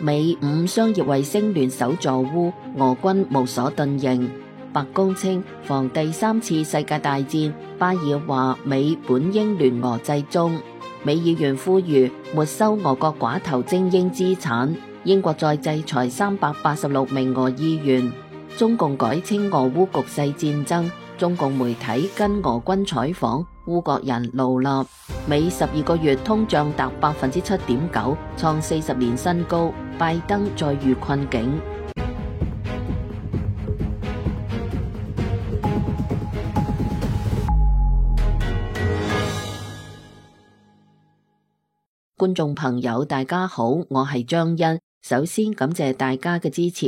美五商業衛星聯手助烏，俄軍無所遁形。白宮稱防第三次世界大戰，巴爾話美本應聯俄制中。美議員呼籲沒收俄國寡頭精英資產。英國再制裁386名俄議員。中共改稱俄烏局勢戰爭。中共媒體跟俄軍採訪，烏國人怒納。美12個月通脹達7.9%，創40年新高。拜登再遇困境。觀眾朋友大家好，我係張欣，首先感謝大家嘅支持。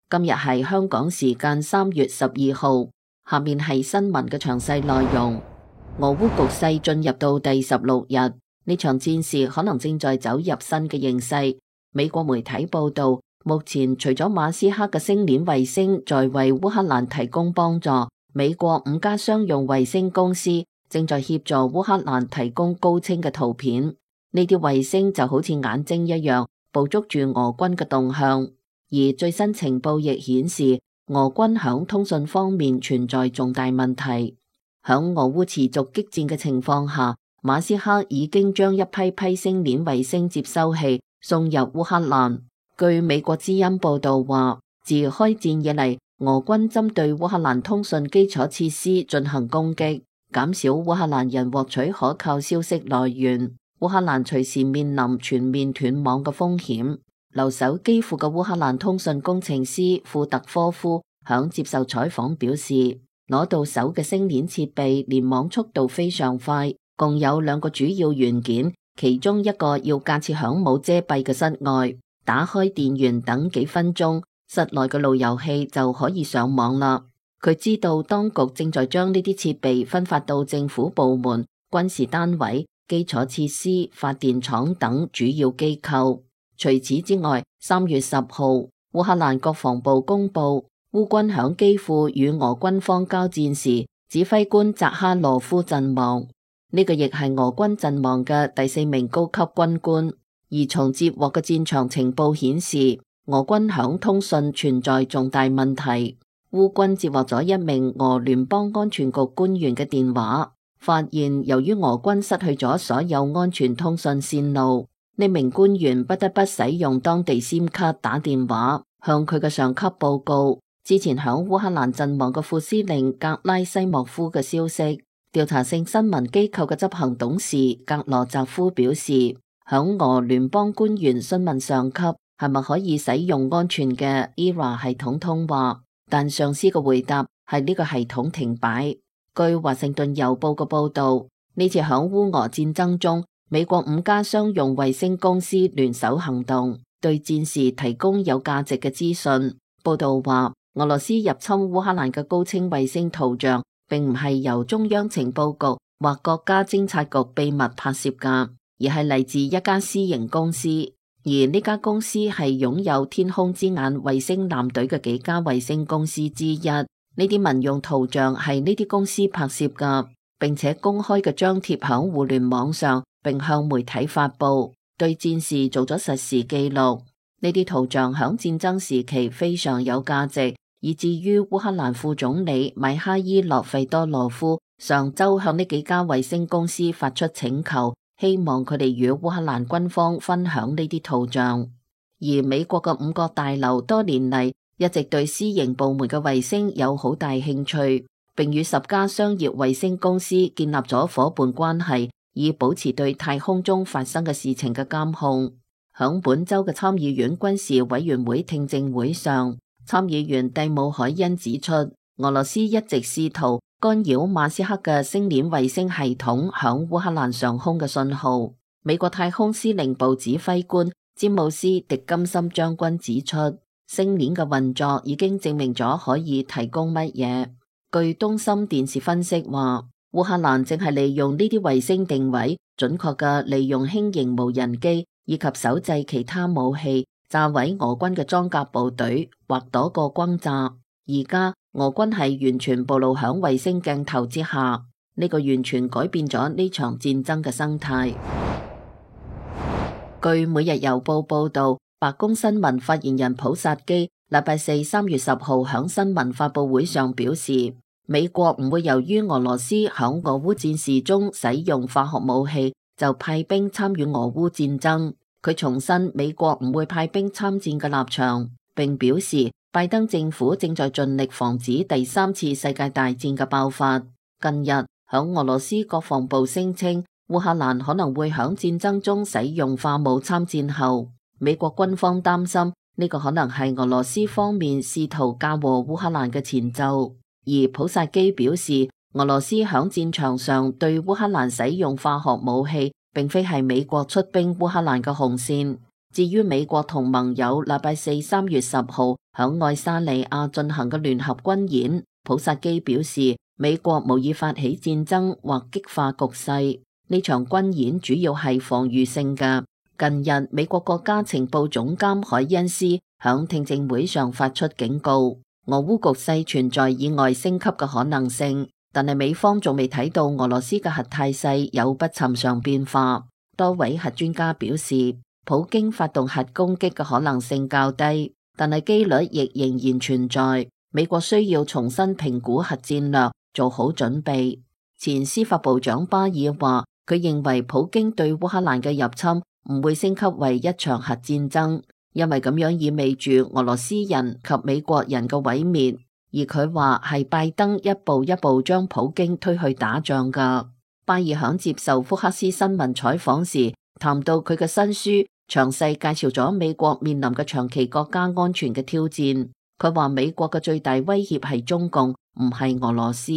今日係香港時間3月12號，下面係新聞嘅詳細內容。俄烏局勢進入到第16日，呢場戰事可能正在走入新嘅形勢。美國媒體報道，目前除咗馬斯克嘅星鏈衛星在為烏克蘭提供幫助，美國5家商用衛星公司正在協助烏克蘭提供高清嘅圖片。呢啲衛星就好似眼睛一樣，捕捉住俄軍嘅動向。而最新情報亦顯示，俄軍響通訊方面存在重大問題。響俄烏持續激戰嘅情況下，馬斯克已經將一批星鏈衛星接收器送入烏克蘭。據美國之音報道話，自開戰以嚟，俄軍針對烏克蘭通訊基礎設施進行攻擊，減少烏克蘭人獲取可靠消息來源。烏克蘭隨時面臨全面斷網嘅風險。留守基輔嘅烏克蘭通訊工程師庫特科夫響接受採訪表示，攞到手嘅星鏈設備連網速度非常快，共有2個主要元件，其中一個要架設響冇遮蔽嘅室外，打開電源等幾分鐘，室內嘅路由器就可以上網啦。佢知道當局正在將呢啲設備分發到政府部門、軍事單位、基礎設施、發電廠等主要機構。除此之外，3月10號，烏克蘭國防部公布，烏軍響基輔與俄軍方交戰時，指揮官扎哈羅夫陣亡。呢個亦係俄軍陣亡嘅第4名高級軍官。而從接獲嘅戰場情報顯示，俄軍響通訊存在重大問題。烏軍接獲咗一名俄聯邦安全局官員嘅電話，發現由於俄軍失去咗所有安全通訊線路，呢名官員不得不使用當地 SIM 卡打電話，向佢嘅上級報告之前響烏克蘭陣亡嘅副司令格拉西莫夫嘅消息。調查性新聞機構嘅執行董事格羅澤夫表示，響俄聯邦官員詢問上級係咪可以使用安全嘅 ERA 系統通話，但上司嘅回答係呢個系統停擺。據華盛頓郵報嘅報道，呢次響烏俄戰爭中，美國5家商用衛星公司聯手行動，對戰士提供有價值嘅資訊。報道話，俄羅斯入侵烏克蘭嘅高清衛星圖像，並唔係由中央情報局或國家偵察局秘密拍攝㗎，而係嚟自一家私營公司。而呢家公司係擁有天空之眼衛星艦隊嘅幾家衛星公司之一。呢啲民用圖像係呢啲公司拍攝㗎，並且公開嘅張貼響互聯網上，並向媒體發布，對戰事做咗實時記錄。呢啲圖像響戰爭時期非常有價值，以至於烏克蘭副總理米哈伊洛費多羅夫上周向呢幾家衛星公司發出請求，希望佢哋與烏克蘭軍方分享呢啲圖像。而美國嘅5角大樓多年嚟一直對私營部門嘅衛星有好大興趣，並與10家商業衛星公司建立咗夥伴關係，以保持對太空中發生嘅事情嘅監控。響本周嘅參議院軍事委員會聽證會上，參議員蒂姆凱恩指出，俄羅斯一直試圖干擾馬斯克嘅星鏈衛星系統響烏克蘭上空嘅信號。美國太空司令部指揮官詹姆斯迪金森將軍指出，星鏈嘅運作已經證明咗可以提供乜嘢。據東森電視分析話，烏克蘭正係利用呢啲衛星定位，準確嘅利用輕型無人機以及手製其他武器炸毀俄軍嘅裝甲部隊或躲過轟炸。而家俄軍係完全暴露響衛星鏡頭之下，呢個完全改變咗呢場戰爭嘅生態。據每日郵報報道，白宮新聞發言人普薩基禮拜四3月10號響新聞發佈會上表示，美國唔會由於俄羅斯響俄烏戰事中使用化學武器就派兵參與俄烏戰爭。佢重申美國唔會派兵參戰嘅立場，並表示拜登政府正在盡力防止第三次世界大戰嘅爆發。近日響俄羅斯國防部聲稱烏克蘭可能會響戰爭中使用化武參戰後，美國軍方擔心呢個可能係俄羅斯方面試圖嫁禍烏克蘭嘅前奏。而普薩基表示，俄羅斯響戰場上對烏克蘭使用化學武器並非係美國出兵烏克蘭嘅紅線。至於美國同盟友禮拜四3月10號響愛沙尼亞進行嘅聯合軍演，普薩基表示美國無意發起戰爭或激化局勢，呢場軍演主要係防禦性嘅。近日美國國家情報總監海恩斯響聽證會上發出警告，俄烏局勢存在意外升級嘅可能性。但係美方仲未睇到俄羅斯嘅核態勢有不尋常變化。多位核專家表示，普京發動核攻擊嘅可能性較低，但係機率亦仍然存在。美國需要重新評估核戰略，做好準備。前司法部長巴爾話，佢認為普京對烏克蘭嘅入侵唔會升級為一場核戰爭，因為咁樣意味住俄羅斯人及美國人嘅毀滅。而佢話係拜登一步一步將普京推去打仗㗎。巴爾響接受福克斯新聞採訪時，談到佢嘅新書，詳細介紹咗美國面臨嘅長期國家安全嘅挑戰。佢話美國嘅最大威脅係中共，唔係俄羅斯，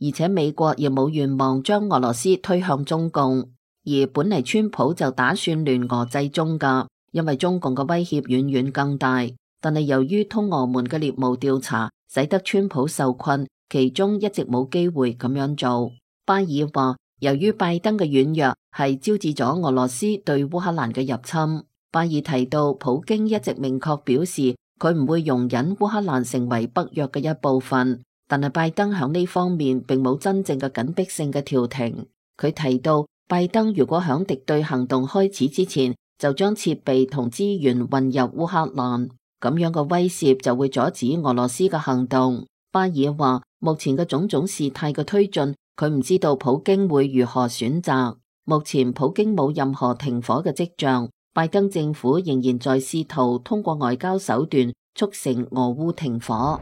而且美國亦冇願望將俄羅斯推向中共。而本嚟川普就打算聯俄制中㗎，因為中共嘅威脅遠遠更大。但係由於通俄門嘅獵巫調查，使得川普受困，其中一直冇機會咁樣做。巴爾話，由於拜登嘅軟弱係招致咗俄羅斯對烏克蘭嘅入侵。巴爾提到，普京一直明確表示佢唔會容忍烏克蘭成為北約嘅一部分，但係拜登響呢方面並冇真正嘅緊迫性嘅調停。佢提到，拜登如果響敵對行動開始之前就將設備同資源運入烏克蘭，咁樣嘅威懾就會阻止俄羅斯嘅行動。巴爾話，目前嘅種種事態嘅推進，佢唔知道普京會如何選擇。目前普京冇任何停火嘅跡象，拜登政府仍然在試圖通過外交手段促成俄烏停火。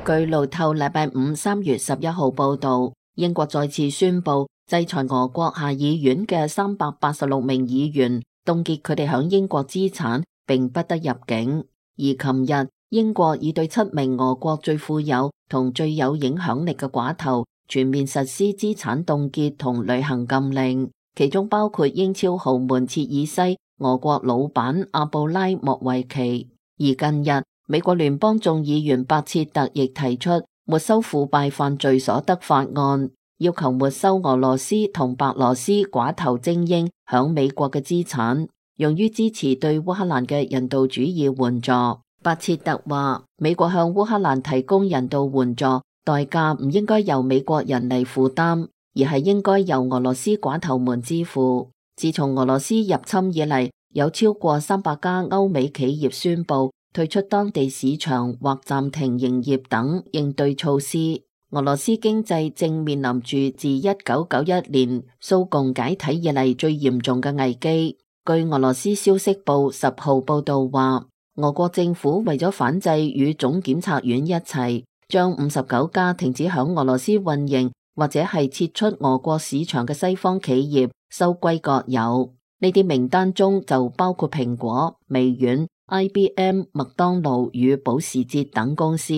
據路透禮拜五3月11號報道，英國再次宣布制裁俄國下議院嘅386名議員，凍結佢哋響英國資產，並不得入境。而琴日，英國已對7名俄國最富有同最有影響力嘅寡頭全面實施資產凍結同旅行禁令，其中包括英超豪門切爾西、俄國老闆阿布拉莫維奇。而近日，美國聯邦眾議員白切特亦提出沒收腐敗犯罪所得法案，要求沒收俄羅斯同白羅斯寡頭精英響美國嘅資產，用於支持對烏克蘭嘅人道主義援助。白切特話，美國向烏克蘭提供人道援助，代價唔應該由美國人嚟負擔，而係應該由俄羅斯寡頭們支付。自從俄羅斯入侵以嚟，有超過300家歐美企業宣布退出當地市場或暫停營業等應對措施。俄羅斯經濟正面臨住自1991年蘇共解體以嚟最嚴重嘅危機。據俄羅斯消息報10號報道話，俄國政府為咗反制與總檢察院一齊，將59家停止響俄羅斯運營或者係撤出俄國市場嘅西方企業收歸國有。呢啲名單中就包括蘋果、微軟、IBM、麥當勞與保時捷等公司。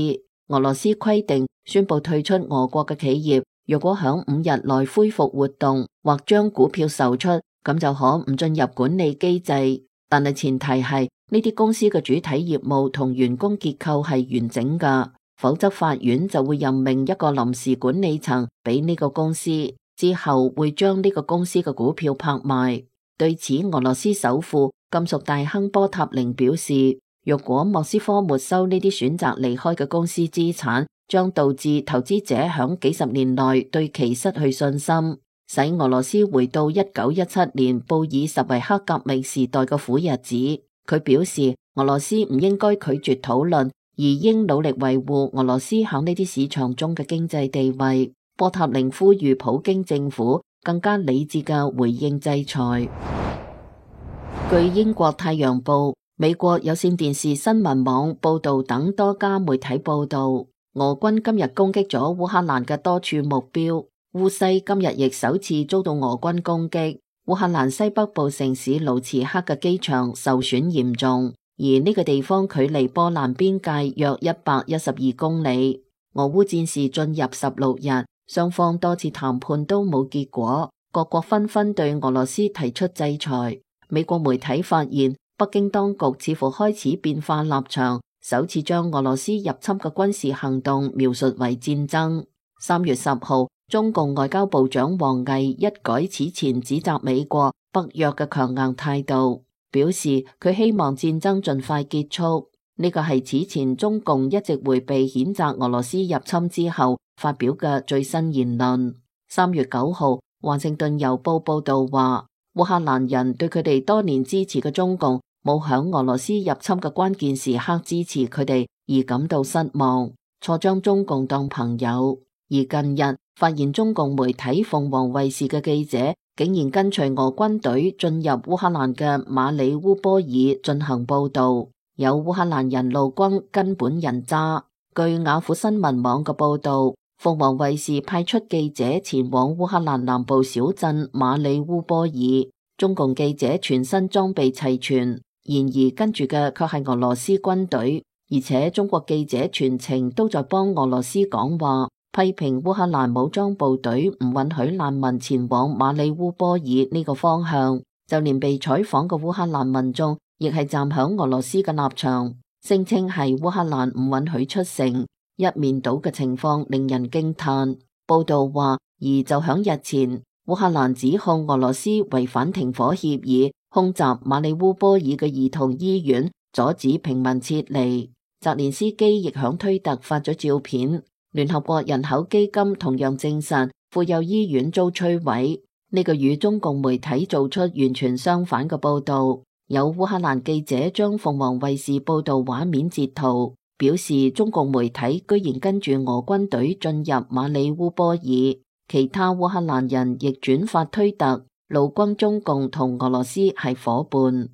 俄羅斯規定宣布退出俄國嘅企業，若果響5日內恢復活動或將股票售出，咁就可唔進入管理機制。但係前提係呢啲公司嘅主體業務同員工結構係完整㗎，否則法院就會任命一個臨時管理層俾呢個公司，之後會將呢個公司嘅股票拍賣。對此，俄羅斯首富金屬大亨波塔寧表示，若果莫斯科沒收呢啲選擇離開嘅公司資產，將導致投資者響幾十年內對其失去信心。使俄羅斯回到1917年布爾什維克革命時代嘅苦日子。佢表示，俄羅斯唔應該拒絕討論，而應努力維護俄羅斯喺呢啲市場中嘅經濟地位。波塔寧呼籲普京政府更加理智嘅回應制裁。據英國太陽報、美國有線電視新聞網報道等多家媒體報道，俄軍今日攻擊咗烏克蘭嘅多處目標。烏西今日亦首次遭到俄軍攻擊。烏克蘭西北部城市盧茨克嘅機場受損嚴重，而呢個地方距離波蘭邊界約112公里。俄烏戰事進入16日，雙方多次談判都冇結果，各國紛紛對俄羅斯提出制裁。美國媒體發現，北京當局似乎開始變化立場，首次將俄羅斯入侵嘅軍事行動描述為戰爭。3月10號，中共外交部長王毅一改此前指責美國、北約嘅強硬態度，表示佢希望戰爭盡快結束。呢個係此前中共一直迴避譴責俄羅斯入侵之後發表嘅最新言論。3月9號，華盛頓郵報報道話，烏克蘭人對佢哋多年支持嘅中共冇響俄羅斯入侵嘅關鍵時刻支持佢哋而感到失望，錯將中共當朋友。而近日發現中共媒體鳳凰衛視嘅記者竟然跟隨俄軍隊進入烏克蘭嘅馬里烏波爾進行報道，有烏克蘭人怒轟根本人渣。據雅虎新聞網嘅報道，鳳凰衛視派出記者前往烏克蘭南部小鎮馬里烏波爾，中共記者全身裝備齊全，然而跟住嘅卻係俄羅斯軍隊，而且中國記者全程都在幫俄羅斯講話，批評烏克蘭武裝部隊唔允許難民前往馬里烏波爾呢個方向，就連被採訪嘅烏克蘭民眾亦係站響俄羅斯嘅立場，聲稱係烏克蘭唔允許出城，一面倒嘅情況令人驚嘆。報道話，而就響日前，烏克蘭指控俄羅斯違反停火協議，空襲馬里烏波爾嘅兒童醫院，阻止平民撤離。澤連斯基亦響推特發咗照片。聯合國人口基金同樣證實婦幼醫院遭摧毀，呢個與中共媒體做出完全相反嘅報道。有烏克蘭記者將鳳凰衛視報道畫面截圖，表示中共媒體居然跟住俄軍隊進入馬里烏波爾。其他烏克蘭人亦轉發推特，怒轟中共同俄羅斯係夥伴。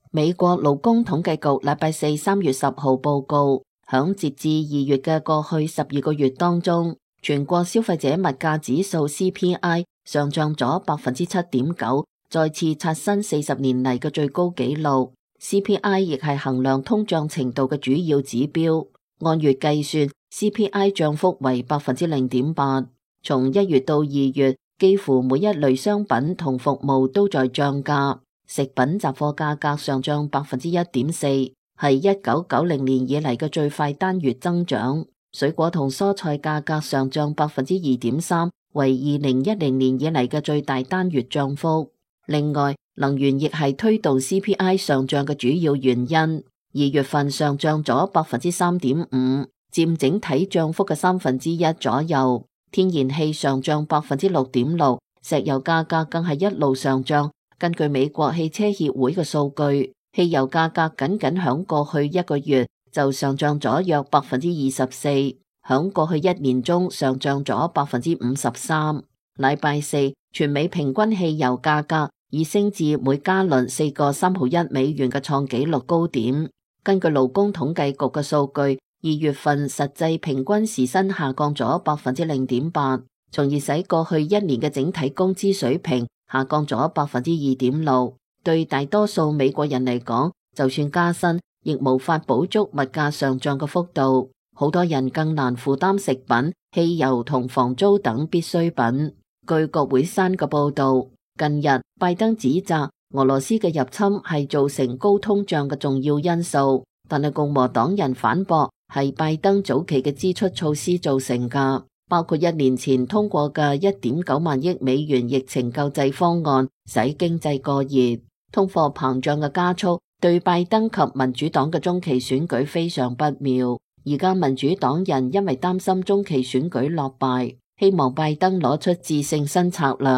美國勞工統計局禮拜四3月10號報告，響截至2月嘅過去12個月當中，全國消費者物價指數 CPI 上漲咗7.9%，再次刷新40年嚟嘅最高紀錄。CPI 亦係衡量通脹程度嘅主要指標，按月計算 CPI 漲幅為0.8%。從1月到2月，幾乎每一類商品同服務都在漲價。食品雜貨價格上漲1.4%，係1990年以嚟嘅最快單月增長。水果同蔬菜價格上漲2.3%，為2010年以嚟嘅最大單月漲幅。另外，能源亦係推動 CPI 上漲嘅主要原因。2月份上漲咗3.5%，佔整體漲幅嘅1/3左右。天然氣上漲6.6%，石油價格更係一路上漲。根據美國汽車協會嘅數據，汽油價格僅響過去一個月就上漲咗約24%，響過去一年中上漲咗53%。禮拜四，全美平均汽油價格已升至每加侖$4.31嘅創紀錄高點。根據勞工統計局嘅數據，2月份實際平均時薪下降咗0.8%，從而使過去一年嘅整體工資水平下降咗2.6%。對大多數美國人嚟講，就算加薪，亦無法補足物價上漲嘅幅度。好多人更難負擔食品、汽油同房租等必需品。據國會山嘅報道，近日拜登指責俄羅斯嘅入侵係造成高通脹嘅重要因素，但係共和黨人反駁係拜登早期嘅支出措施造成㗎。包括1年前通過嘅1.9萬億美元疫情救濟方案，使經濟過熱。通貨膨脹嘅加速對拜登及民主黨嘅中期選舉非常不妙。而家民主黨人因為擔心中期選舉落敗，希望拜登攞出致勝新策略。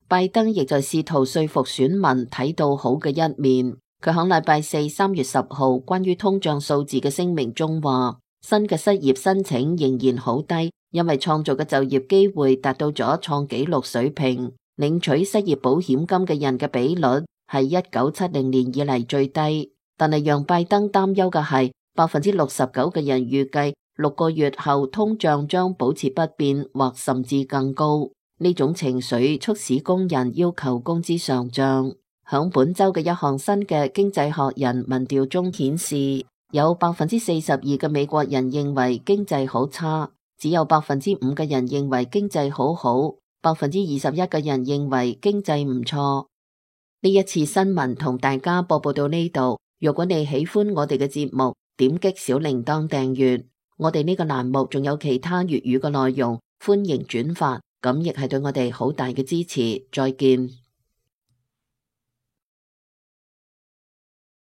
拜登亦在試圖說服選民睇到好嘅一面。佢響禮拜四3月10號關於通脹數字嘅聲明中話，新嘅失業申請仍然好低，因為創造嘅就業機會達到咗創紀錄水平。領取失業保險金嘅人嘅比率係1970年以嚟最低。但係讓拜登擔憂嘅係，69%嘅人預計6個月後通脹將保持不變或甚至更高。呢種情緒促使工人要求工資上漲。響本周嘅一項新嘅經濟學人民調中顯示，有42%嘅美國人認為經濟好差，只有5%嘅人認為經濟好好，21%嘅人認為經濟唔錯。呢一次新聞同大家播報到呢度。如果你喜歡我哋嘅節目，點擊小鈴鐺訂閱。我哋呢個欄目仲有其他粵語嘅內容，歡迎轉發，咁亦係對我哋好大嘅支持。再見。